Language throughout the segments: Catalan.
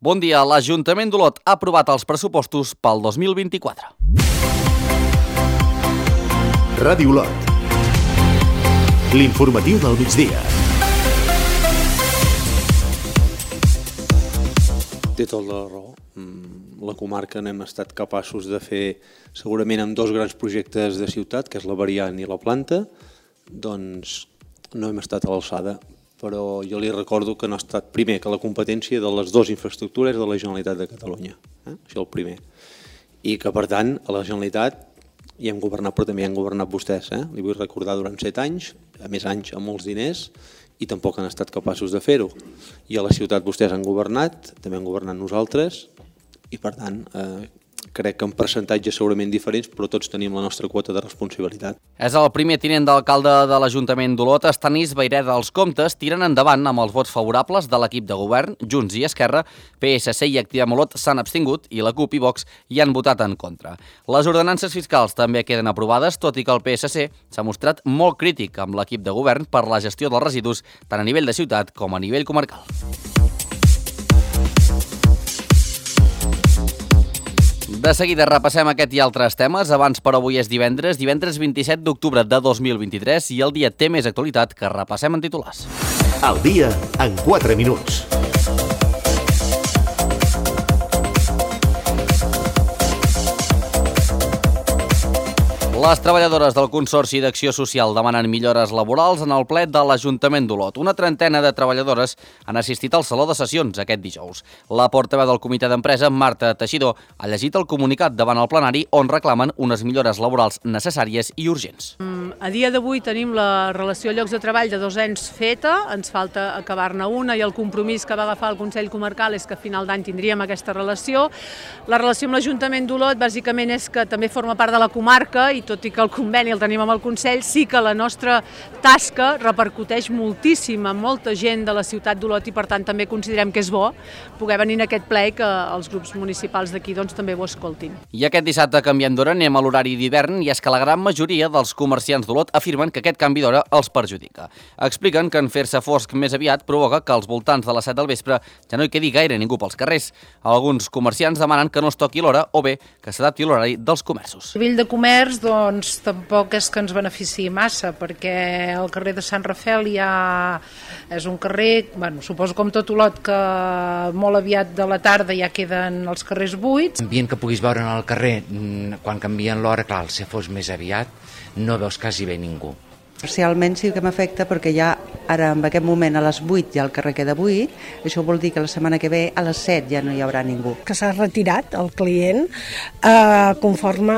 Bon dia. L'Ajuntament d'Olot ha aprovat els pressupostos pel 2024. Ràdio Olot. L'informatiu del migdia. Té tota la raó. La comarca n'hem estat capaços de fer segurament amb dos grans projectes de ciutat, que és la variant i la planta, doncs no hem estat a l'alçada. Però jo li recordo que no ha estat primer que la competència de les dues infraestructures de la Generalitat de Catalunya. Això el primer. I que, per tant, a la Generalitat hi hem governat, però també hi han governat vostès. Li vull recordar durant 7 anys, a més anys amb molts diners, i tampoc han estat capaços de fer-ho. I a la ciutat vostès han governat, també han governat nosaltres, i per tant crec que en percentatges segurament diferents, però tots tenim la nostra quota de responsabilitat. És el primer tinent d'alcalde de l'Ajuntament d'Olot, Estanis Vayreda. Els comptes tiren endavant amb els vots favorables de l'equip de govern. Junts i Esquerra, PSC i Activem Olot s'han abstingut i la CUP i Vox hi han votat en contra. Les ordenances fiscals també queden aprovades, tot i que el PSC s'ha mostrat molt crític amb l'equip de govern per la gestió dels residus tant a nivell de ciutat com a nivell comarcal. De seguida repassem aquest i altres temes. Abans, però, avui és divendres 27 d'octubre de 2023 i el dia té més actualitat que repassem en titulars. El dia en 4 minuts. Les treballadores del Consorci d'Acció Social demanen millores laborals en el ple de l'Ajuntament d'Olot. Una trentena de treballadores han assistit al Saló de Sessions aquest dijous. La portaveu del comitè d'empresa, Marta Teixidor, ha llegit el comunicat davant el plenari on reclamen unes millores laborals necessàries i urgents. A dia d'avui tenim la relació de llocs de treball de 2 anys feta, ens falta acabar-ne una i el compromís que va agafar el Consell Comarcal és que a final d'any tindríem aquesta relació. La relació amb l'Ajuntament d'Olot bàsicament és que també forma part de la comarca i tot i que el conveni el tenim amb el Consell, sí que la nostra tasca repercuteix moltíssim a molta gent de la ciutat d'Olot i per tant també considerem que és bo poder venir a aquest ple i que els grups municipals d'aquí doncs, també ho escoltin. I aquest dissabte canviem d'hora, anem a l'horari d'hivern i és que la gran majoria dels comerciants d'Olot afirmen que aquest canvi d'hora els perjudica. Expliquen que en fer-se fosc més aviat provoca que als voltants de les 7 del vespre ja no hi quedi gaire ningú pels carrers. Alguns comerciants demanen que no es toqui l'hora o bé que s'adapti l'horari dels comerços. A nivell de comerç, doncs, tampoc és que ens beneficiï massa, perquè el carrer de Sant Rafel ja és un carrer, suposo com tot Olot, que molt aviat de la tarda ja queden els carrers buits. L'ambient que puguis veure en el carrer quan canvien l'hora, clar, si fos més aviat, no veus quasi bé ningú. Parcialment sí que m'afecta perquè ja ara en aquest moment a les 8 ja el carrer queda buit, això vol dir que la setmana que ve a les 7 ja no hi haurà ningú. Que s'ha retirat el client conforme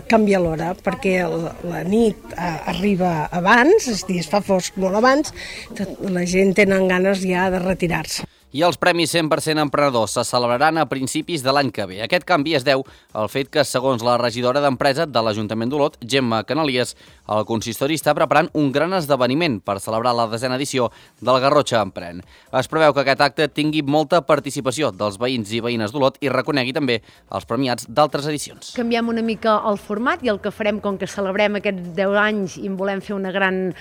canvia l'hora, perquè la nit arriba abans, és a dir, es fa fosc molt abans, la gent tenen ganes ja de retirar-se. I els Premis 100% Emprenedors se celebraran a principis de l'any que ve. Aquest canvi es deu al fet que, segons la regidora d'Empresa de l'Ajuntament d'Olot, Gemma Canalies, el consistori està preparant un gran esdeveniment per celebrar la 10a edició del Garrotxa Empren. Es preveu que aquest acte tingui molta participació dels veïns i veïnes d'Olot i reconegui també els premiats d'altres edicions. Canviem una mica el format i el que farem, com que celebrem aquests 10 anys i en volem fer una gran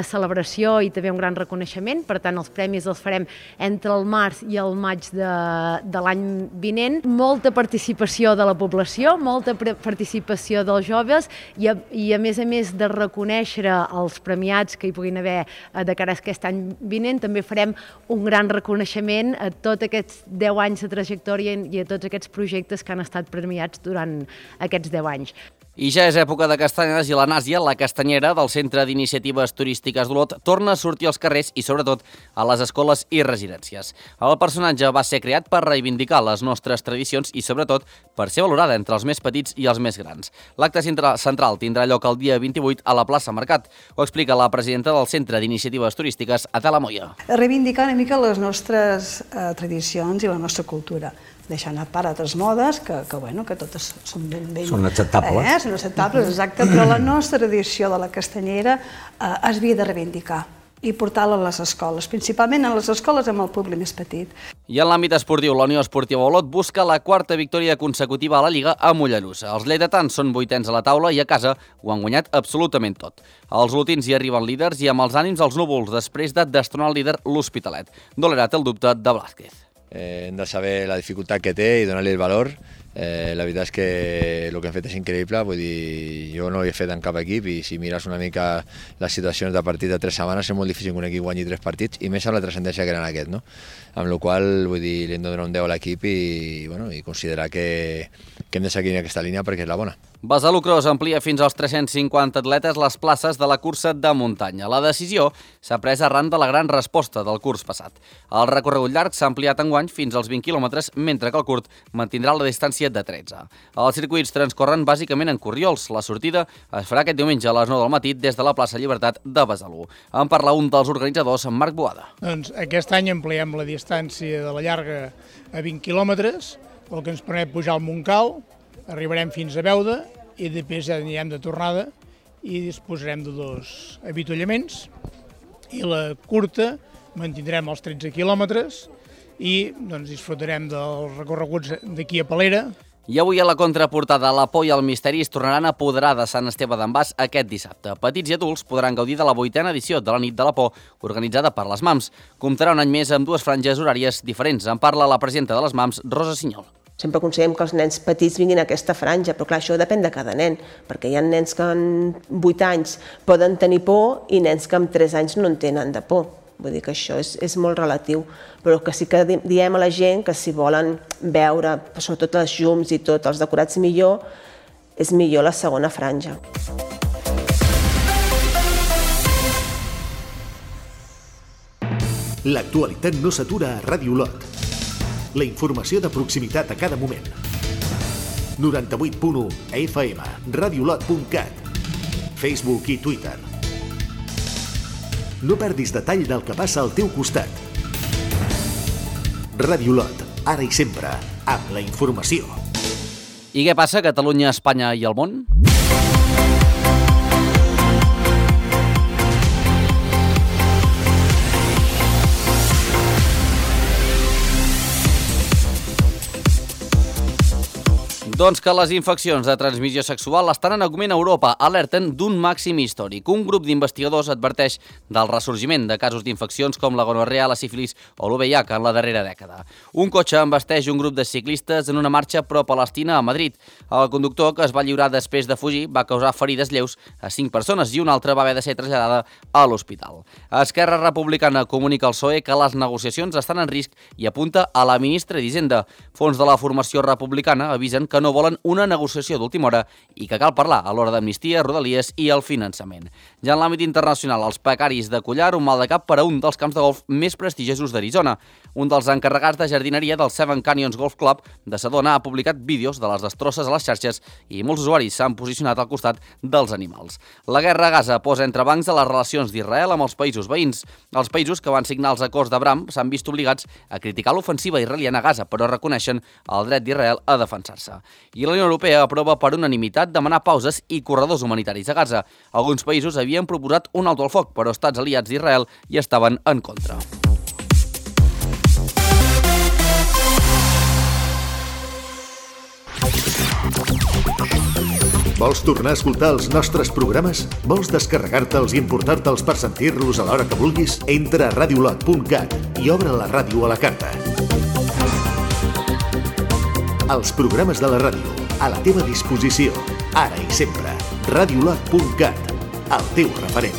celebració i també un gran reconeixement, per tant els premis els farem entre el març i el maig de l'any vinent. Molta participació de la població, molta participació dels joves i a més de reconèixer els premiats que hi puguin haver de cara a aquest any vinent, també farem un gran reconeixement a tots aquests 10 anys de trajectòria i a tots aquests projectes que han estat premiats durant aquests 10 anys. I ja és època de castanyes i la Nàsia, la castanyera del Centre d'Iniciatives Turístiques d'Olot, torna a sortir als carrers i, sobretot, a les escoles i residències. El personatge va ser creat per reivindicar les nostres tradicions i, sobretot, per ser valorada entre els més petits i els més grans. L'acte central tindrà lloc el dia 28 a la plaça Mercat. Ho explica la presidenta del Centre d'Iniciatives Turístiques, Adela Moya. Reivindicar una mica les nostres tradicions i la nostra cultura, deixant a part altres modes que totes són ben... Són acceptables. Són acceptables, exacte, però la nostra tradició de la castanyera es havia de reivindicar i portar-la a les escoles, principalment a les escoles amb el públic més petit. I en l'àmbit esportiu, la Unió Esportiva Olot busca la 4ª victòria consecutiva a la Lliga a Mollerussa. Els lleidatans són 8ens a la taula i a casa ho han guanyat absolutament tot. Els olotins hi arriben líders i amb els ànims als núvols després de destronar el líder l'Hospitalet. Dolerà té el dubte de Blázquez. hem de saber la dificultat que té i donar-li el valor. La veritat és que el que hem fet és increïble, vull dir, jo no ho he fet en cap equip i si mires una mica les situacions de partit de 3 setmanes és molt difícil que un equip guanyi 3 partits i més amb la transcendència que eren aquest, no? Amb la qual cosa, vull dir, li hem de donar un 10 a l'equip i considerar que hem de seguir en aquesta línia perquè és la bona. Besalú Cross amplia fins als 350 atletes les places de la cursa de muntanya. La decisió s'ha pres arran de la gran resposta del curs passat. El recorregut llarg s'ha ampliat enguany fins als 20 quilòmetres, mentre que el curt mantindrà la distància de 13. Els circuits transcorren bàsicament en corriols. La sortida es farà aquest diumenge a les 9 del matí des de la plaça Llibertat de Besalú. En parla un dels organitzadors, Marc Boada. Doncs aquest any ampliem la distància de la llarga a 20 quilòmetres, el que ens permet pujar al Montcal, arribarem fins a Beuda i després ja anirem de tornada i disposarem de 2 avituallaments i la curta mantindrem els 13 quilòmetres i disfrutarem dels recorreguts d'aquí a Palera. I avui a la contraportada, la por i el misteri es tornaran a apoderar de Sant Esteve d'en Bas aquest dissabte. Petits i adults podran gaudir de la 8a edició de la Nit de la Por, organitzada per les MAMS. Comptarà un any més amb 2 franges horàries diferents. En parla la presidenta de les MAMS, Rosa Sinyol. Sempre aconsellem que els nens petits vinguin a aquesta franja, però clar, això depèn de cada nen, perquè hi ha nens que en 8 anys poden tenir por i nens que amb 3 anys no en tenen de por. Vull dir que això és molt relatiu, però que sí que diem a la gent que si volen veure, sobretot les llums i tot, els decorats millor, és millor la segona franja. L'actualitat no s'atura a Ràdio Olot. La informació de proximitat a cada moment. 98.1 FM, radiolot.cat, Facebook i Twitter. No perdis detall del que passa al teu costat. Ràdio Olot, ara i sempre, amb la informació. I què passa a Catalunya, Espanya i el món? Doncs que les infeccions de transmissió sexual estan en augment a Europa, alerten d'un màxim històric. Un grup d'investigadors adverteix del ressorgiment de casos d'infeccions com la gonorrea, la sífilis o l'UVIH en la darrera dècada. Un cotxe embasteix un grup de ciclistes en una marxa pro-Palestina a Madrid. El conductor, que es va lliurar després de fugir, va causar ferides lleus a 5 persones i una altra va haver de ser traslladada a l'hospital. Esquerra Republicana comunica al PSOE que les negociacions estan en risc i apunta a la ministra d'Hisenda. Fons de la formació republicana avisen que no volen una negociació d'última hora i que cal parlar a l'hora d'amnistia, rodalies i el finançament. Ja en l'àmbit internacional, els pecaris de collar, un mal de cap per a un dels camps de golf més prestigiosos d'Arizona. Un dels encarregats de jardineria del Seven Canyons Golf Club de Sedona ha publicat vídeos de les destrosses a les xarxes i molts usuaris s'han posicionat al costat dels animals. La guerra a Gaza posa entrebancs a les relacions d'Israel amb els països veïns. Els països que van signar els acords d'Abraham s'han vist obligats a criticar l'ofensiva israeliana a Gaza, però reconeixen el dret d'Israel a defensar-se. I la Unió Europea aprova per unanimitat demanar pauses i corredors humanitaris a Gaza. Alguns països havien proposat un alto al foc, però estats aliats d'Israel hi estaven en contra. Vols tornar a escoltar els nostres programes? Vols descarregar-te'ls i emportar-te'ls per sentir-los a l'hora que vulguis? Entra a radiolot.cat i obre la ràdio a la carta. Els programes de la ràdio, a la teva disposició, ara i sempre. Radiolot.cat, el teu referent.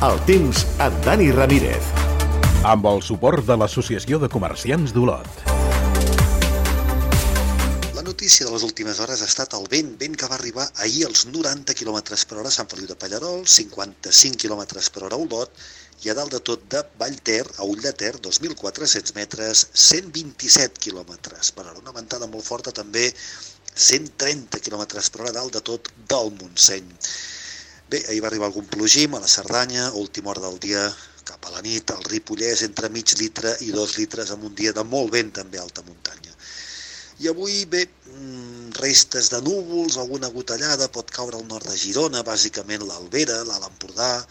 El temps amb Dani Ramírez. Amb el suport de l'Associació de Comerciants d'Olot. La notícia de les últimes hores ha estat el vent que va arribar ahir als 90 km per hora a Sant Feliu de Pallerols, 55 km per hora a Olot, i a dalt de tot de Vallter, a Ull de Ter, 2.400 metres, 127 km per hora. Una ventada molt forta també, 130 km per hora dalt de tot del Montseny. Bé, ahir va arribar algun plogim a la Cerdanya, a última hora del dia, cap a la nit, al Ripollès, entre mig litre i 2 litres, amb un dia de molt vent també a alta muntanya. I avui, bé, restes de núvols, alguna gotellada, pot caure al nord de Girona, bàsicament l'Albera, l'Alt Empordà,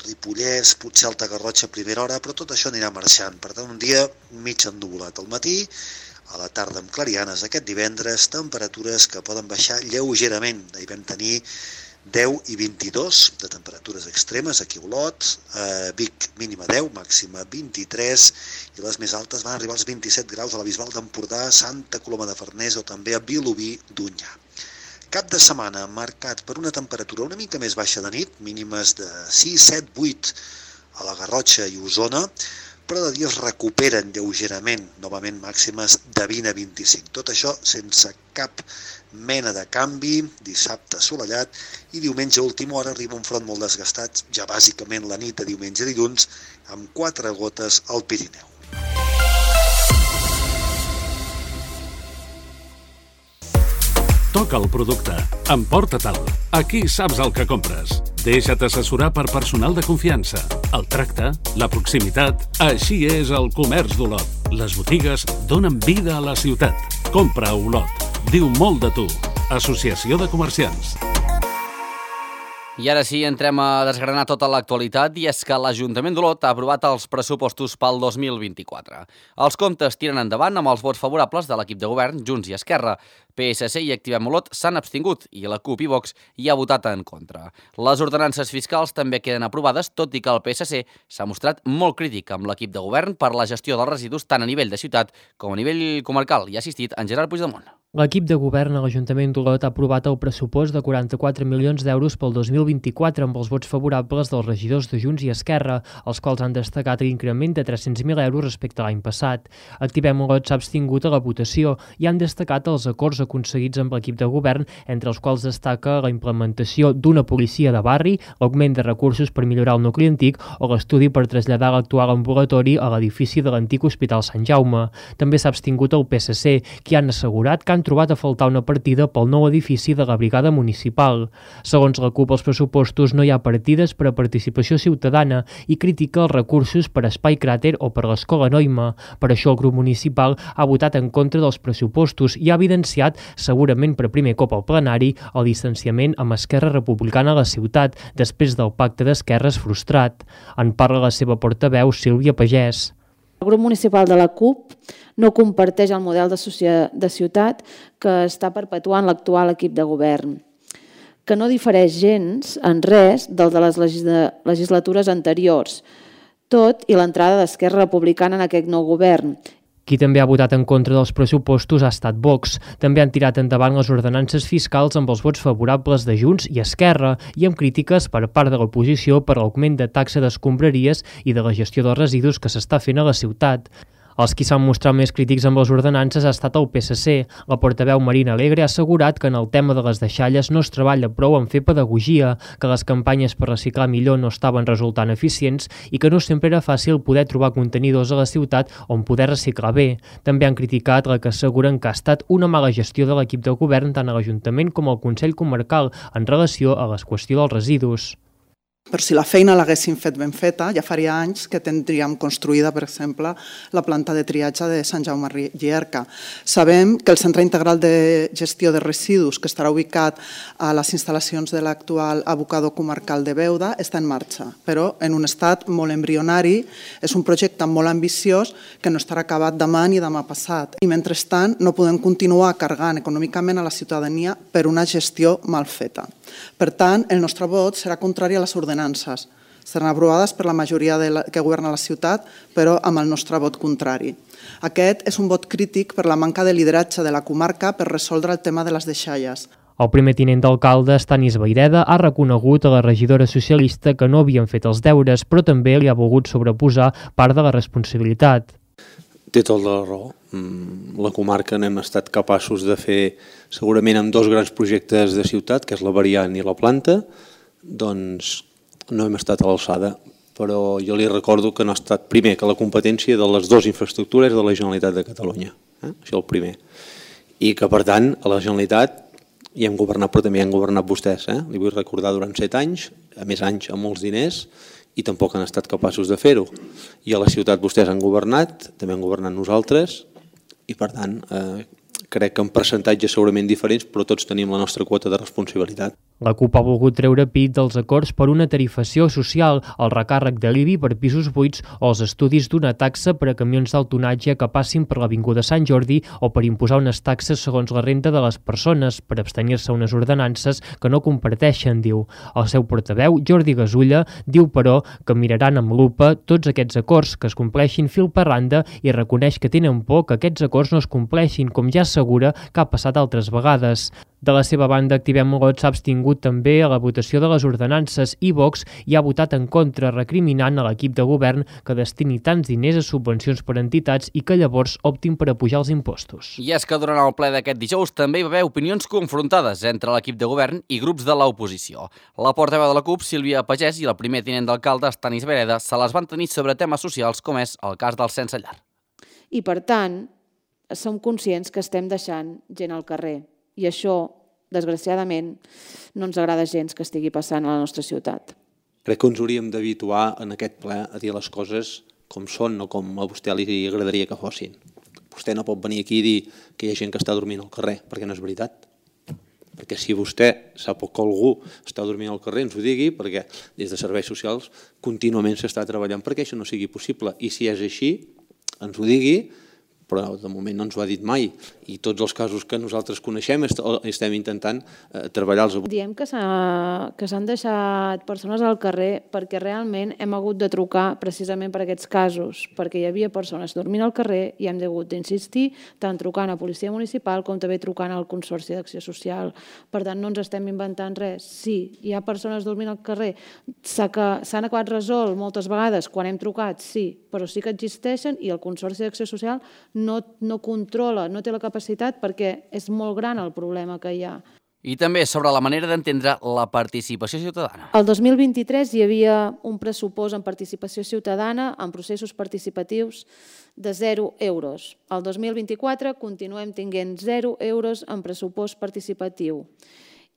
Ripollès, potser Alta Garrotxa a primera hora, però tot això anirà marxant. Per tant, un dia mig ennuvolat al matí, a la tarda amb clarianes aquest divendres, temperatures que poden baixar lleugerament. Ahir vam tenir 10 i 22 de temperatures extremes aquí a Olot, a Vic mínima 10, màxima 23, i les més altes van arribar als 27 graus a la Bisbal d'Empordà, Santa Coloma de Farners o també a Vilobí d'Onyar. Cap de setmana marcat per una temperatura una mica més baixa de nit, mínimes de 6, 7, 8 a la Garrotxa i Osona, però de dia es recuperen lleugerament, novament màximes de 20 a 25. Tot això sense cap mena de canvi, dissabte assolellat, i diumenge a última hora arriba un front molt desgastat, ja bàsicament la nit de diumenge i dilluns, amb 4 gotes al Pirineu. Toca el producte, emporta-te'l. Aquí saps el que compres. Deixa't assessorar per personal de confiança. El tracte, la proximitat, així és el comerç d'Olot. Les botigues donen vida a la ciutat. Compra a Olot. Diu molt de tu. Associació de Comerciants. I ara sí, entrem a desgranar tota l'actualitat, i és que l'Ajuntament d'Olot ha aprovat els pressupostos pel 2024. Els comptes tiren endavant amb els vots favorables de l'equip de govern, Junts i Esquerra. PSC i Activem Olot s'han abstingut i la CUP i Vox hi ha votat en contra. Les ordenances fiscals també queden aprovades, tot i que el PSC s'ha mostrat molt crític amb l'equip de govern per la gestió dels residus tant a nivell de ciutat com a nivell comarcal. Hi ha assistit en Gerard Puigdemont. L'equip de govern a l'Ajuntament d'Olot ha aprovat el pressupost de 44 milions d'euros pel 2024 amb els vots favorables dels regidors de Junts i Esquerra, els quals han destacat l'increment de 300.000 euros respecte a l'any passat. Activem Olot s'ha abstingut a la votació i han destacat els acords aconseguits amb l'equip de govern, entre els quals destaca la implementació d'una policia de barri, l'augment de recursos per millorar el nucli antic o l'estudi per traslladar l'actual ambulatori a l'edifici de l'antic Hospital Sant Jaume. També s'ha abstingut el PSC, qui han assegurat que han trobat a faltar una partida pel nou edifici de la brigada municipal. Segons la CUP, als pressupostos no hi ha partides per a participació ciutadana i critica els recursos per a Espai Cràter o per l'Escola Noima. Per això el grup municipal ha votat en contra dels pressupostos i ha evidenciat, segurament per primer cop al plenari, el distanciament amb Esquerra Republicana a la ciutat, després del pacte d'esquerres frustrat. En parla la seva portaveu, Sílvia Pagès. El grup municipal de la CUP no comparteix el model de ciutat que està perpetuant l'actual equip de govern, que no difereix gens en res del de les legislatures anteriors, tot i l'entrada d'Esquerra Republicana en aquest nou govern. Qui també ha votat en contra dels pressupostos ha estat Vox. També han tirat endavant les ordenances fiscals amb els vots favorables de Junts i Esquerra i amb crítiques per part de l'oposició per l'augment de taxa d'escombraries i de la gestió dels residus que s'està fent a la ciutat. Els qui s'han mostrat més crítics amb les ordenances ha estat el PSC. La portaveu Marina Alegre ha assegurat que en el tema de les deixalles no es treballa prou en fer pedagogia, que les campanyes per reciclar millor no estaven resultant eficients i que no sempre era fàcil poder trobar contenidors a la ciutat on poder reciclar bé. També han criticat la que asseguren que ha estat una mala gestió de l'equip de govern tant a l'Ajuntament com al Consell Comarcal en relació a la qüestió dels residus. Per si la feina l'haguéssim fet ben feta, ja faria anys que tindríem construïda, per exemple, la planta de triatge de Sant Jaume Llierca. Sabem que el Centre Integral de Gestió de Residus, que estarà ubicat a les instal·lacions de l'actual abocador comarcal de Beuda, està en marxa, però en un estat molt embrionari. És un projecte molt ambiciós que no estarà acabat demà ni demà passat. I mentrestant no podem continuar carregant econòmicament a la ciutadania per una gestió mal feta. Per tant, el nostre vot serà contrari a les ordenances. Seran aprovades per la majoria que governa la ciutat, però amb el nostre vot contrari. Aquest és un vot crític per la manca de lideratge de la comarca per resoldre el tema de les deixalles. El primer tinent d'alcalde, Stanis Vaireda, ha reconegut a la regidora socialista que no havien fet els deures, però també li ha volgut sobreposar part de la responsabilitat. Té tota la raó. La comarca n'hem estat capaços de fer segurament amb dos grans projectes de ciutat, que és la variant i la planta, doncs no hem estat a l'alçada, però jo li recordo que no ha estat primer que la competència de les dues infraestructures de la Generalitat de Catalunya. Això el primer. I que, per tant, a la Generalitat hi hem governat, però també hi han governat vostès. Li vull recordar durant 7 anys, a més anys amb molts diners, i tampoc han estat capaços de fer-ho. I a la ciutat vostès han governat, també han governat nosaltres, i per tant crec que en percentatges segurament diferents, però tots tenim la nostra quota de responsabilitat. La CUP ha volgut treure pit dels acords per una tarifació social, el recàrrec de l'IBI per pisos buits o els estudis d'una taxa per a camions d'alt tonatge que passin per l'Avinguda Sant Jordi o per imposar unes taxes segons la renda de les persones per abstenir-se a unes ordenances que no comparteixen, diu. El seu portaveu, Jordi Gasulla, diu, però, que miraran amb lupa tots aquests acords que es compleixin fil per randa i reconeix que tenen por que aquests acords no es compleixin, com ja assegura que ha passat altres vegades. De la seva banda, Activem Olot s'ha abstingut també a la votació de les ordenances i Vox hi ha votat en contra, recriminant a l'equip de govern que destini tants diners a subvencions per entitats i que llavors optin per apujar els impostos. I és que durant el ple d'aquest dijous també hi va haver opinions confrontades entre l'equip de govern i grups de l'oposició. La portaveu de la CUP, Sílvia Pagès, i el primer tinent d'alcalde, Stanis Vereda, se les van tenir sobre temes socials com és el cas dels sense llar. I per tant, som conscients que estem deixant gent al carrer. I això, desgraciadament, no ens agrada gens que estigui passant a la nostra ciutat. Crec que ens hauríem d'habituar en aquest ple a dir les coses com són, no com a vostè li agradaria que fossin. Vostè no pot venir aquí i dir que hi ha gent que està dormint al carrer, perquè no és veritat. Perquè si vostè sap que algú està dormint al carrer, ens ho digui, perquè des de serveis socials contínuament s'està treballant perquè això no sigui possible. I si és així, ens ho digui, però de moment no ens ho ha dit mai. I tots els casos que nosaltres coneixem estem intentant treballar-los. Diem que s'han deixat persones al carrer perquè realment hem hagut de trucar precisament per aquests casos, perquè hi havia persones dormint al carrer i hem hagut d'insistir tant trucant a Policia Municipal com també trucant al Consorci d'Acció Social. Per tant, no ens estem inventant res. Sí, hi ha persones dormint al carrer. S'han acabat resolt moltes vegades quan hem trucat, sí, però sí que existeixen i el Consorci d'Acció Social no controla, no té la capacitat perquè és molt gran el problema que hi ha. I també sobre la manera d'entendre la participació ciutadana. El 2023 hi havia un pressupost en participació ciutadana en processos participatius de 0 euros. El 2024 continuem tinguent 0 euros en pressupost participatiu.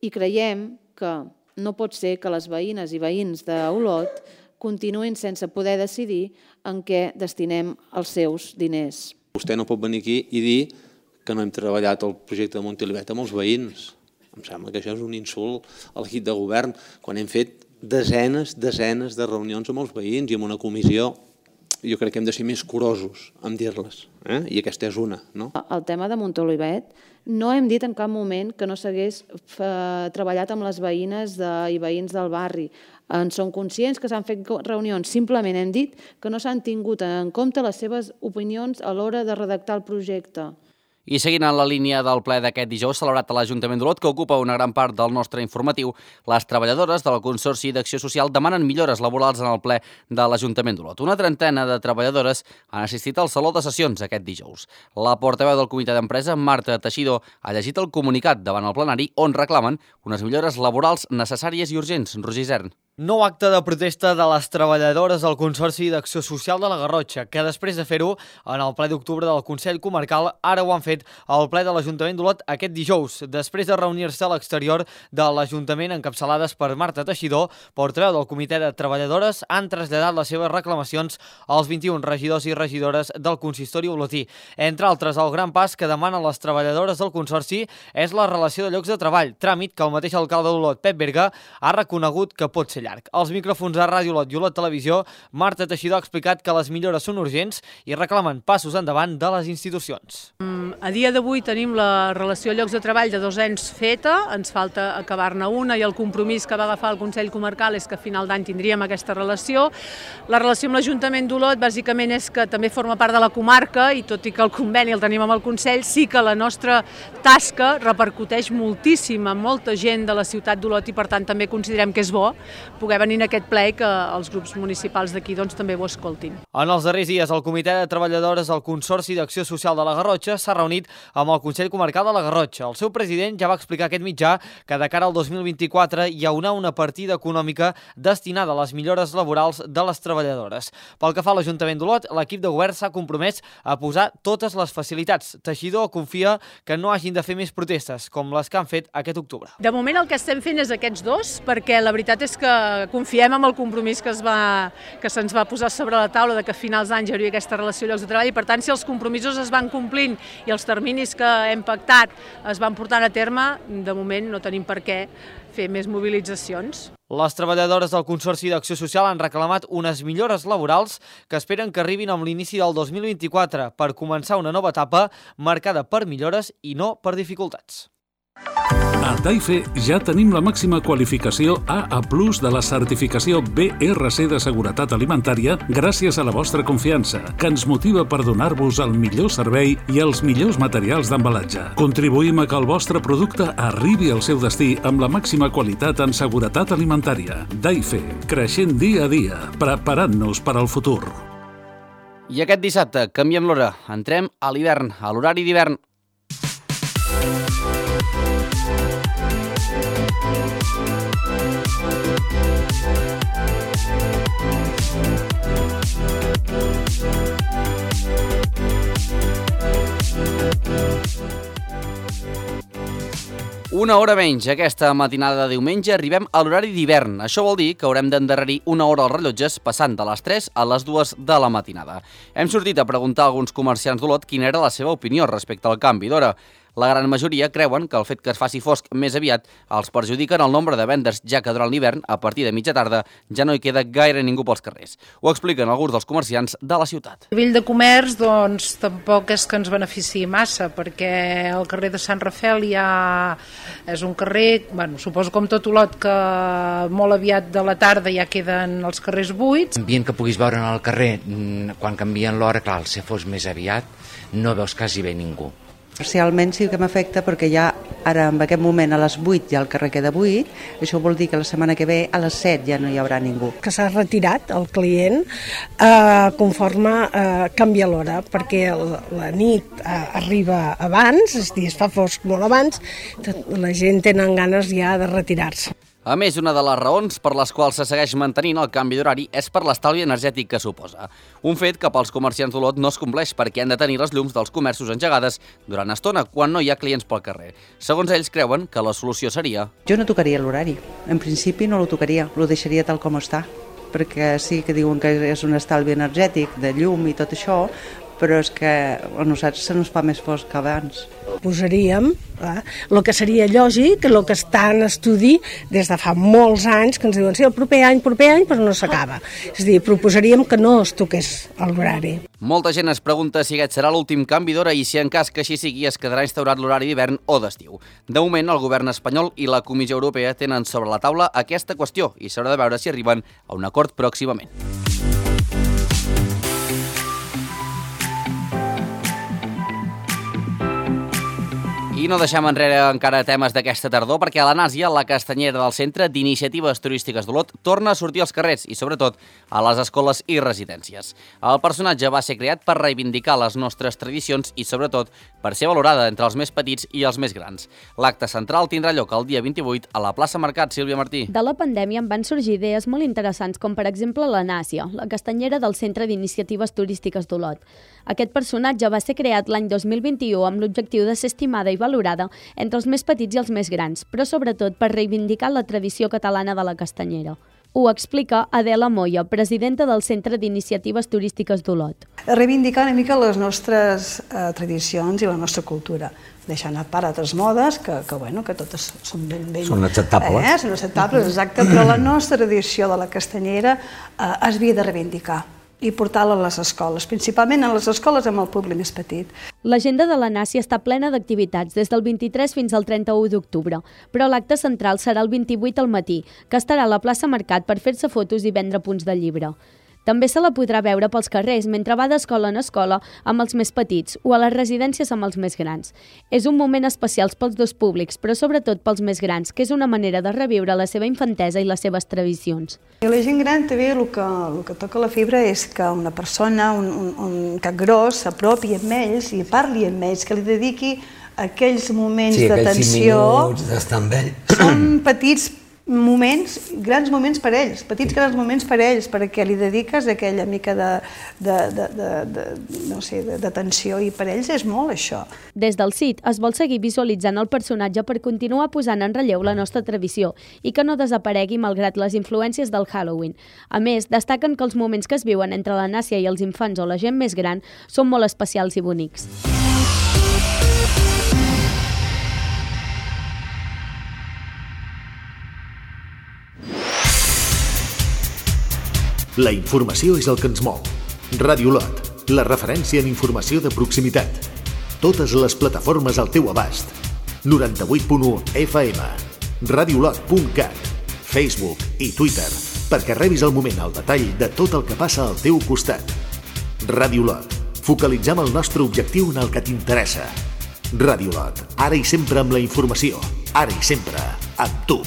I creiem que no pot ser que les veïnes i veïns d'Olot continuïn sense poder decidir en què destinem els seus diners. Vostè no pot venir aquí i dir que no hem treballat el projecte de Montolivet amb els veïns. Em sembla que això és un insult a l'equip de govern, quan hem fet desenes de reunions amb els veïns i amb una comissió. Jo crec que hem de ser més curosos en dir-les, i aquesta és una. El tema de Montolivet, no hem dit en cap moment que no s'hagués treballat amb les veïnes i veïns del barri. En som conscients que s'han fet reunions, simplement hem dit que no s'han tingut en compte les seves opinions a l'hora de redactar el projecte. I seguint en la línia del ple d'aquest dijous celebrat a l'Ajuntament d'Olot, que ocupa una gran part del nostre informatiu, les treballadores del Consorci d'Acció Social demanen millores laborals en el ple de l'Ajuntament d'Olot. Una trentena de treballadores han assistit al Saló de Sessions aquest dijous. La portaveu del comitè d'empresa, Marta Teixidor, ha llegit el comunicat davant el plenari on reclamen unes millores laborals necessàries i urgents. Roger Isern. Nou acte de protesta de les treballadores del Consorci d'Acció Social de la Garrotxa, que després de fer-ho en el ple d'octubre del Consell Comarcal, ara ho han fet al ple de l'Ajuntament d'Olot aquest dijous, després de reunir-se a l'exterior de l'Ajuntament encapçalades per Marta Teixidor, portaveu del Comitè de Treballadores, han traslladat les seves reclamacions als 21 regidors i regidores del consistori olotí. Entre altres, el gran pas que demanen les treballadores del Consorci és la relació de llocs de treball, tràmit que el mateix alcalde d'Olot, Pep Berga, ha reconegut que pot ser llarg. Als micròfons de Ràdio Olot i Olot Televisió, Marta Teixidor ha explicat que les millores són urgents i reclamen passos endavant de les institucions. A dia d'avui tenim la relació de llocs de treball de 2 anys feta, ens falta acabar-ne una i el compromís que va agafar el Consell Comarcal és que a final d'any tindríem aquesta relació. La relació amb l'Ajuntament d'Olot bàsicament és que també forma part de la comarca i tot i que el conveni el tenim amb el Consell, sí que la nostra tasca repercuteix moltíssim a molta gent de la ciutat d'Olot i per tant també considerem que és bo poder venir en aquest ple i que els grups municipals d'aquí també ho escoltin. En els darrers dies, el Comitè de Treballadores del Consorci d'Acció Social de la Garrotxa s'ha reunit amb el Consell Comarcal de la Garrotxa. El seu president ja va explicar aquest mitjà que de cara al 2024 hi haurà una partida econòmica destinada a les millores laborals de les treballadores. Pel que fa a l'Ajuntament d'Olot, l'equip de govern s'ha compromès a posar totes les facilitats. Teixidor confia que no hagin de fer més protestes, com les que han fet aquest octubre. De moment el que estem fent és aquests dos, perquè la veritat és que confiem en el compromís que se'ns va posar sobre la taula de que a finals d'any hi hauria aquesta relació de llocs de treball i, per tant, si els compromisos es van complint i els terminis que hem pactat es van portant a terme, de moment no tenim per què fer més mobilitzacions. Les treballadores del Consorci d'Acció Social han reclamat unes millores laborals que esperen que arribin amb l'inici del 2024 per començar una nova etapa marcada per millores i no per dificultats. A Daife ja tenim la màxima qualificació AA+ de la certificació BRC de seguretat alimentària gràcies a la vostra confiança, que ens motiva per donar-vos el millor servei i els millors materials d'embalatge. Contribuïm a que el vostre producte arribi al seu destí amb la màxima qualitat en seguretat alimentària. Daife, creixent dia a dia, preparant-nos per al futur. I aquest dissabte canviem l'hora. Entrem a l'hivern, a l'horari d'hivern. Una hora menys. Aquesta matinada de diumenge arribem a l'horari d'hivern. Això vol dir que haurem d'endarrerir una hora als rellotges passant de les 3 a les 2 de la matinada. Hem sortit a preguntar a alguns comerciants d'Olot quina era la seva opinió respecte al canvi d'hora. La gran majoria creuen que el fet que es faci fosc més aviat els perjudica en el nombre de vendes, ja que durant l'hivern, a partir de mitja tarda, ja no hi queda gaire ningú pels carrers. Ho expliquen alguns dels comerciants de la ciutat. A nivell de comerç, doncs, tampoc és que ens beneficiï massa, perquè el carrer de Sant Rafel ja és un carrer, suposo com tot Olot, que molt aviat de la tarda ja queden els carrers buits. L'ambient que puguis veure en el carrer, quan canvien l'hora, clar, si fos més aviat, no veus quasi bé ningú. Parcialment sí que m'afecta perquè ja ara en aquest moment a les 8 ja el carrer queda buit, això vol dir que la setmana que ve a les 7 ja no hi haurà ningú. Que s'ha retirat el client conforme canvia l'hora, perquè la nit arriba abans, és a dir, es fa fosc molt abans, la gent tenen ganes ja de retirar-se. A més, una de les raons per les quals se segueix mantenint el canvi d'horari és per l'estalvi energètic que suposa. Un fet que pels comerciants d'Olot no es compleix perquè han de tenir les llums dels comerços engegades durant estona quan no hi ha clients pel carrer. Segons ells, creuen que la solució seria... Jo no tocaria l'horari. En principi no lo tocaria, lo deixaria tal com està, perquè sí que diuen que és un estalvi energètic de llum i tot això, però és que a nosaltres se nos fa més fosc que abans. Posaríem el que seria lògic, el que està en estudi des de fa molts anys, que ens diuen sí, el proper any, però no s'acaba. És a dir, proposaríem que no es toqués l'horari. Molta gent es pregunta si aquest serà l'últim canvi d'hora i si en cas que així sigui es quedarà instaurat l'horari d'hivern o d'estiu. De moment, el govern espanyol i la Comissió Europea tenen sobre la taula aquesta qüestió i s'haurà de veure si arriben a un acord pròximament. I no deixem enrere encara temes d'aquesta tardor perquè a la Nàsia, la castanyera del Centre d'Iniciatives Turístiques d'Olot, torna a sortir als carrers i, sobretot, a les escoles i residències. El personatge va ser creat per reivindicar les nostres tradicions i, sobretot, per ser valorada entre els més petits i els més grans. L'acte central tindrà lloc el dia 28 a la plaça Mercat. Sílvia Martí. De la pandèmia en van sorgir idees molt interessants, com per exemple la Nàsia, la castanyera del Centre d'Iniciatives Turístiques d'Olot. Aquest personatge va ser creat l'any 2021 amb l'objectiu de ser estimada i valorada entre els més petits i els més grans, però sobretot per reivindicar la tradició catalana de la castanyera. Ho explica Adela Moya, presidenta del Centre d'Iniciatives Turístiques d'Olot. Reivindicar una mica les nostres tradicions i la nostra cultura, deixant a part altres modes que totes són ben... Són acceptables. Són acceptables, exacte, però la nostra tradició de la castanyera es havia de reivindicar i portar-la a les escoles, principalment a les escoles amb el públic més petit. L'agenda de la Nàcia està plena d'activitats des del 23 fins al 31 d'octubre, però l'acte central serà el 28 al matí, que estarà a la plaça Mercat per fer-se fotos i vendre punts de llibre. També se la podrà veure pels carrers mentre va d'escola en escola amb els més petits o a les residències amb els més grans. És un moment especial pels dos públics, però sobretot pels més grans, que és una manera de reviure la seva infantesa i les seves tradicions. I la gent gran també el que toca la fibra és que una persona, un cap gros, s'apropi amb ells i parli amb ells, que li dediqui aquells moments d'atenció. Sí, aquells 5 minuts d'estar amb ell. Són petits, grans moments per ells, petits grans moments per ells, perquè li dediques aquella mica d'atenció i per ells és molt això. Des del CIT es vol seguir visualitzant el personatge per continuar posant en relleu la nostra tradició i que no desaparegui malgrat les influències del Halloween. A més, destaquen que els moments que es viuen entre la Nàcia i els infants o la gent més gran són molt especials i bonics. La informació és el que ens mou. Ràdio Olot, la referència en informació de proximitat. Totes les plataformes al teu abast. 98.1 FM, radioolot.cat, Facebook i Twitter, perquè rebis al moment el detall de tot el que passa al teu costat. Ràdio Olot, focalitzem el nostre objectiu en el que t'interessa. Ràdio Olot, ara i sempre amb la informació, ara i sempre amb tu.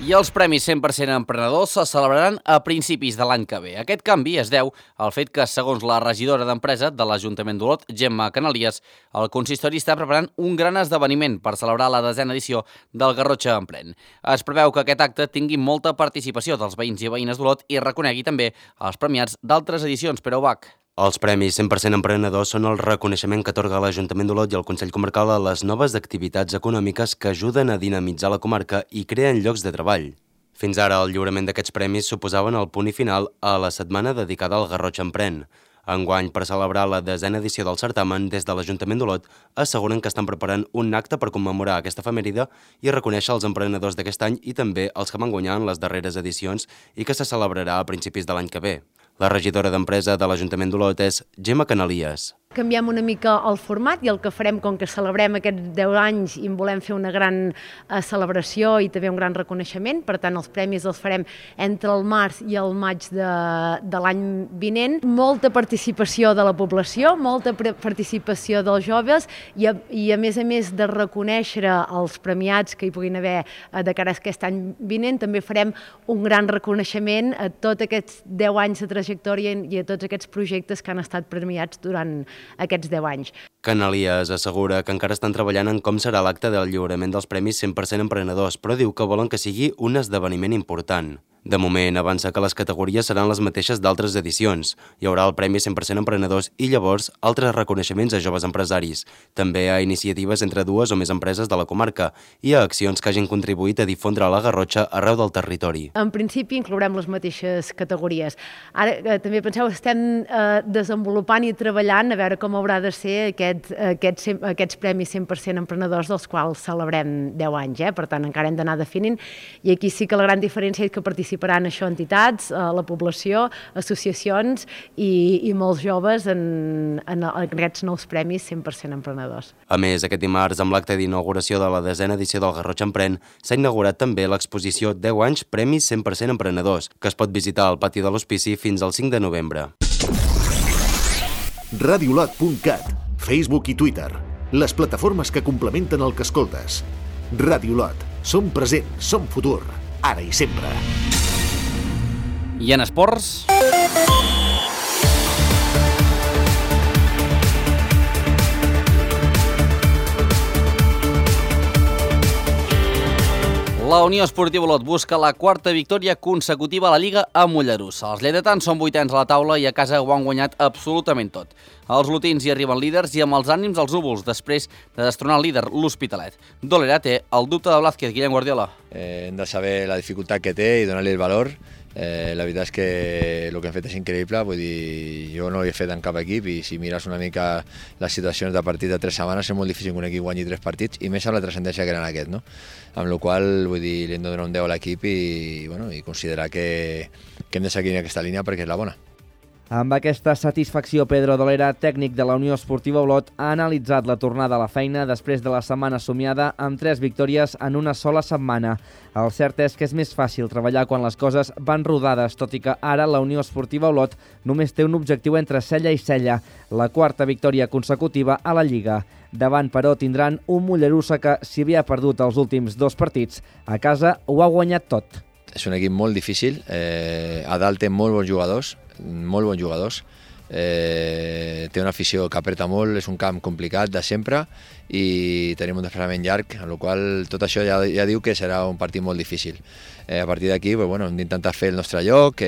I els Premis 100% Emprenedors se celebraran a principis de l'any que ve. Aquest canvi es deu al fet que, segons la regidora d'Empresa de l'Ajuntament d'Olot, Gemma Canalies, el consistori està preparant un gran esdeveniment per celebrar la 10a edició del Garrotxa Emprèn. Es preveu que aquest acte tingui molta participació dels veïns i veïnes d'Olot i reconegui també els premiats d'altres edicions, però Bach. Els Premis 100% Emprenedors són el reconeixement que atorga l'Ajuntament d'Olot i el Consell Comarcal a les noves activitats econòmiques que ajuden a dinamitzar la comarca i creen llocs de treball. Fins ara, el lliurament d'aquests premis suposaven el punt i final a la setmana dedicada al Garrotxa Emprèn. Enguany, per celebrar la 10a edició del certamen, des de l'Ajuntament d'Olot asseguren que estan preparant un acte per commemorar aquesta efemèride i reconèixer els emprenedors d'aquest any i també els que van guanyar en les darreres edicions i que se celebrarà a principis de l'any que ve. La regidora d'Empresa de l'Ajuntament d'Olot és Gemma Canalies. Canviem una mica el format i el que farem, com que celebrem aquests 10 anys i en volem fer una gran celebració i també un gran reconeixement, per tant els premis els farem entre el març i el maig de l'any vinent. Molta participació de la població, molta participació dels joves i a més de reconèixer els premiats que hi puguin haver de cara a aquest any vinent, també farem un gran reconeixement a tots aquests 10 anys de trajectòria i a tots aquests projectes que han estat premiats durant aquests 10 anys. Canalies assegura que encara estan treballant en com serà l'acte del lliurament dels Premis 100% Emprenedors, però diu que volen que sigui un esdeveniment important. De moment, avança que les categories seran les mateixes d'altres edicions. Hi haurà el Premi 100% Emprenedors i llavors altres reconeixements a joves empresaris, també a iniciatives entre dues o més empreses de la comarca i a accions que hagin contribuït a difondre la Garrotxa arreu del territori. En principi inclourem les mateixes categories. Ara també penseu, estem desenvolupant i treballant a veure com haurà de ser aquests Premis 100% Emprenedors dels quals celebrem 10 anys. Per tant, encara hem d'anar definint i aquí sí que la gran diferència és que participaran això entitats, la població, associacions i molts joves en aquests nous premis 100% emprenedors. A més, aquest dimarts, amb l'acte d'inauguració de la 10a edició del Garrotxa Emprèn, s'ha inaugurat també l'exposició 10 anys Premis 100% Emprenedors, que es pot visitar al pati de l'Hospici fins al 5 de novembre. radioolot.cat, Facebook i Twitter, les plataformes que complementen el que escoltes. Ràdio Olot, som present, som futur, ara i sempre. I en esports... La Unió Esportiva Olot busca la quarta victòria consecutiva a la Lliga a Mollerussa. Els lleidatans són 8ens a la taula i a casa ho han guanyat absolutament tot. Els lotins hi arriben líders i amb els ànims als núvols després de destronar el líder, l'Hospitalet. Dolera té el dubte de Blázquez, Guillem Guardiola. Hem de saber la dificultat que té i donar-li el valor. La veritat és que el que hem fet és increïble, vull dir, jo no ho he fet en cap equip i si mires una mica les situacions de partit de 3 setmanes és molt difícil que un equip guanyi 3 partits i més amb la transcendència que eren aquest, no? Amb la qual cosa, vull dir, li hem de donar un 10 a l'equip i considerar que hem de seguir en aquesta línia perquè és la bona. Amb aquesta satisfacció, Pedro Dolera, tècnic de la Unió Esportiva Olot, ha analitzat la tornada a la feina després de la setmana somiada amb 3 victòries en una sola setmana. El cert és que és més fàcil treballar quan les coses van rodades, tot i que ara la Unió Esportiva Olot només té un objectiu entre cella i cella, la quarta victòria consecutiva a la Lliga. Davant, però, tindran un Mollerussa que, si havia perdut els últims 2 partits, a casa ho ha guanyat tot. És un equip molt difícil, a dalt té molt bons jugadors, té una afició que apreta molt, és un camp complicat de sempre i tenim un desplaçament llarg, en el qual tot això ja diu que serà un partit molt difícil. A partir d'aquí hem d'intentar fer el nostre lloc,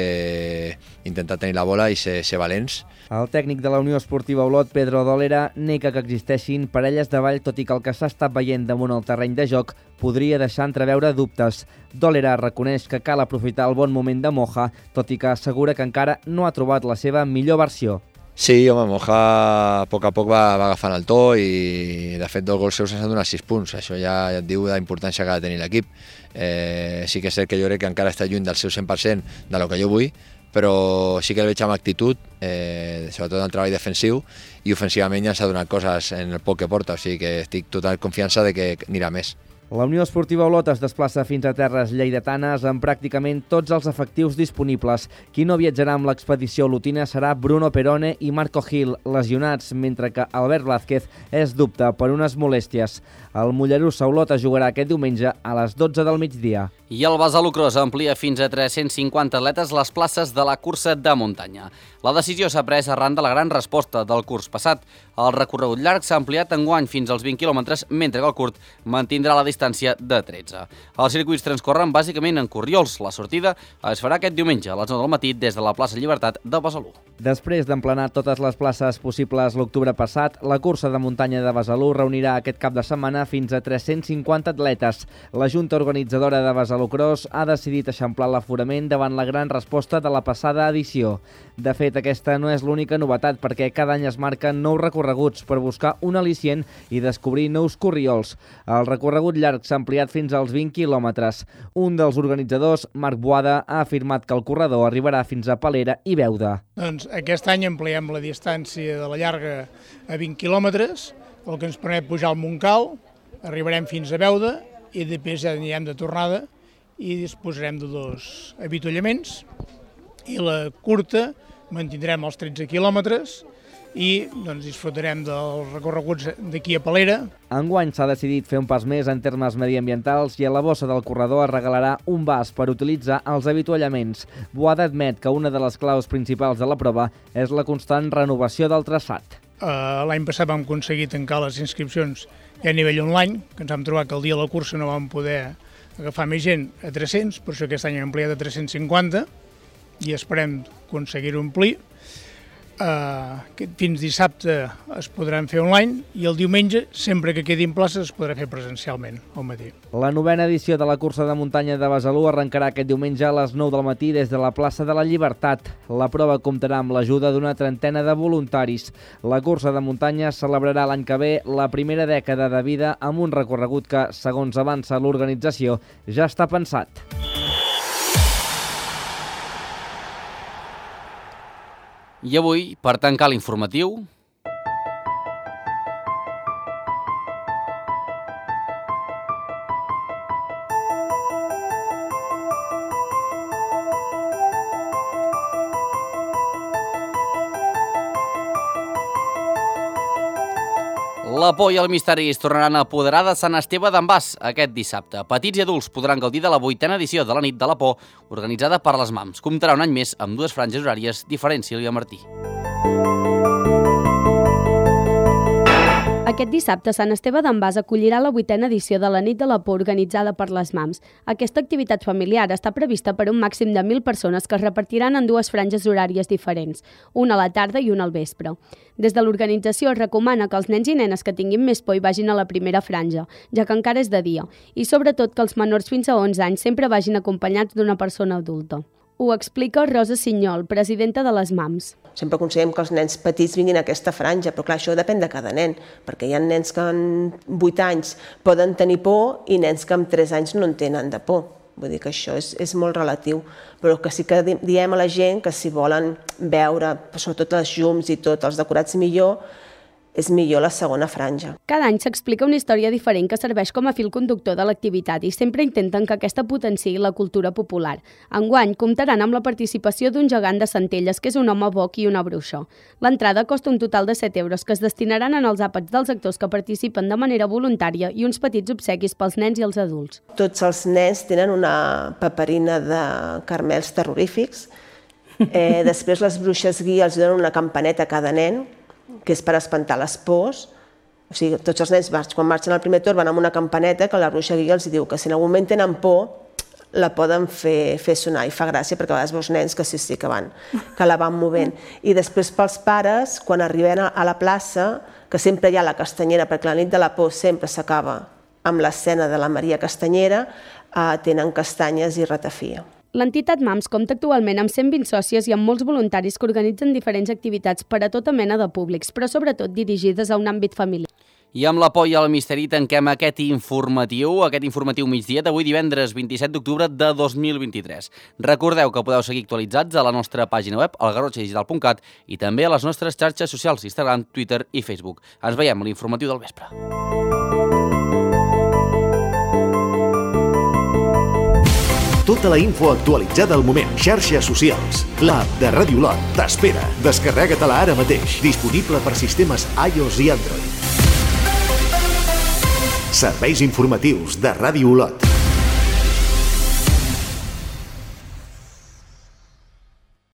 intentar tenir la bola i ser valents. El tècnic de la Unió Esportiva Olot, Pedro Dolera, nega que existeixin parelles de ball, tot i que el que s'ha estat veient damunt el terreny de joc podria deixar entreveure dubtes. Dolera reconeix que cal aprofitar el bon moment de Moja, tot i que assegura que encara no ha trobat la seva millor versió. Sí, home, Moja a poc va agafant el to i de fet 2 gols seus s'han donat 6 punts. Això ja et diu la importància que ha de tenir l'equip. Sí que és cert que jo crec que encara està lluny del seu 100% de lo que jo vull, però sí que el veig amb actitud, sobretot en el treball defensiu, i ofensivament ja s'ha donat coses en el poc que porta, o sigui que estic total confiança de que anirà més. La Unió Esportiva Olot es desplaça fins a terres lleidatanes amb pràcticament tots els efectius disponibles. Qui no viatjarà amb l'expedició olotina serà Bruno Perone i Marco Gil, lesionats, mentre que Albert Blázquez és dubte per unes molèsties. El Mollerussa Olot es jugarà aquest diumenge a les 12 del migdia. I el Besalú Cross amplia fins a 350 atletes les places de la cursa de muntanya. La decisió s'ha pres arran de la gran resposta del curs passat. El recorregut llarg s'ha ampliat enguany fins als 20 quilòmetres, mentre que el curt mantindrà la distància de 13. Els circuits transcorren bàsicament en corriols. La sortida es farà aquest diumenge a les 9 del matí des de la plaça Llibertat de Besalú. Després d'emplenar totes les places possibles l'octubre passat, la cursa de muntanya de Besalú reunirà aquest cap de setmana fins a 350 atletes. La Junta Organitzadora de Besalú Cross ha decidit eixamplar l'aforament davant la gran resposta de la passada edició. De fet, aquesta no és l'única novetat, perquè cada any es marquen nous recorreguts per buscar un al·licient i descobrir nous corriols. El recorregut llarg s'ha ampliat fins als 20 quilòmetres. Un dels organitzadors, Marc Boada, ha afirmat que el corredor arribarà fins a Palera i Beuda. Doncs aquest any ampliem la distància de la llarga a 20 quilòmetres, el que ens permet pujar al Montcal, arribarem fins a Beuda i després ja anirem de tornada i disposarem de 2 avituallaments, i la curta mantindrem els 13 quilòmetres i disfrutarem dels recorreguts d'aquí a Palera. Enguany s'ha decidit fer un pas més en termes mediambientals i a la bossa del corredor es regalarà un vas per utilitzar els avituallaments. Boada admet que una de les claus principals de la prova és la constant renovació del traçat. L'any passat vam aconseguir tancar les inscripcions ja a nivell online, que ens vam trobar que el dia de la cursa no vam poder agafar més gent a 300, per això aquest any hem ampliat a 350 i esperem aconseguir-ho omplir. Fins dissabte es podran fer online i el diumenge, sempre que quedin places, es podrà fer presencialment al matí. La 9a edició de la cursa de muntanya de Besalú arrencarà aquest diumenge a les 9 del matí des de la plaça de la Llibertat. La prova comptarà amb l'ajuda d'una trentena de voluntaris. La cursa de muntanya celebrarà l'any que ve la primera dècada de vida amb un recorregut que, segons avança l'organització, ja està pensat. I avui, per tancar l'informatiu, la por i el misteri es tornaran a apoderar de Sant Esteve d'en Bas aquest dissabte. Petits i adults podran gaudir de la 8a edició de la nit de la por, organitzada per les MAMS. Comptarà un any més amb 2 franges horàries diferents, Sílvia Martí. Aquest dissabte, Sant Esteve d'en Bas acollirà la 8a edició de la nit de la por organitzada per les MAMS. Aquesta activitat familiar està prevista per un màxim de 1.000 persones que es repartiran en 2 franges horàries diferents, una a la tarda i una al vespre. Des de l'organització es recomana que els nens i nenes que tinguin més por hi vagin a la primera franja, ja que encara és de dia, i sobretot que els menors fins a 11 anys sempre vagin acompanyats d'una persona adulta. Ho explica Rosa Sinyol, presidenta de les MAMS. Sempre aconsellem que els nens petits vinguin a aquesta franja, però clar, això depèn de cada nen, perquè hi ha nens que amb 8 anys poden tenir por i nens que amb 3 anys no en tenen de por. Vull dir que això és molt relatiu, però que sí que diem a la gent que si volen veure, sobretot les llums i tot, els decorats millor, és millor la segona franja. Cada any s'explica una història diferent que serveix com a fil conductor de l'activitat i sempre intenten que aquesta potenciï la cultura popular. Enguany comptaran amb la participació d'un gegant de Centelles, que és un home boc i una bruixa. L'entrada costa un total de 7 euros que es destinaran en els àpats dels actors que participen de manera voluntària i uns petits obsequis pels nens i els adults. Tots els nens tenen una paperina de carmels terrorífics Després les bruixes guia els donen una campaneta a cada nen, que és per espantar les pors. O sigui, tots els nens, quan marxen al primer torn, van amb una campaneta que la bruixa guia els diu que si en algun moment tenen por, la poden fer sonar, i fa gràcia perquè a vegades veus nens que sí que la van movent. I després pels pares, quan arriben a la plaça, que sempre hi ha la castanyera, perquè la nit de la por sempre s'acaba amb l'escena de la Maria Castanyera, tenen castanyes i ratafia. L'entitat MAMS compta actualment amb 120 sòcies i amb molts voluntaris que organitzen diferents activitats per a tota mena de públics, però sobretot dirigides a un àmbit familiar. I amb la por i el misteri tanquem aquest informatiu migdia d'avui divendres 27 d'octubre de 2023. Recordeu que podeu seguir actualitzats a la nostra pàgina web, algarrotxadigital.cat, i també a les nostres xarxes socials, Instagram, Twitter i Facebook. Ens veiem a l'informatiu del vespre. Tota la info actualitzada al moment. Xarxes socials. L'app de Ràdio Olot t'espera. Descarrega-te-la ara mateix. Disponible per sistemes iOS i Android. Serveis informatius de Ràdio Olot.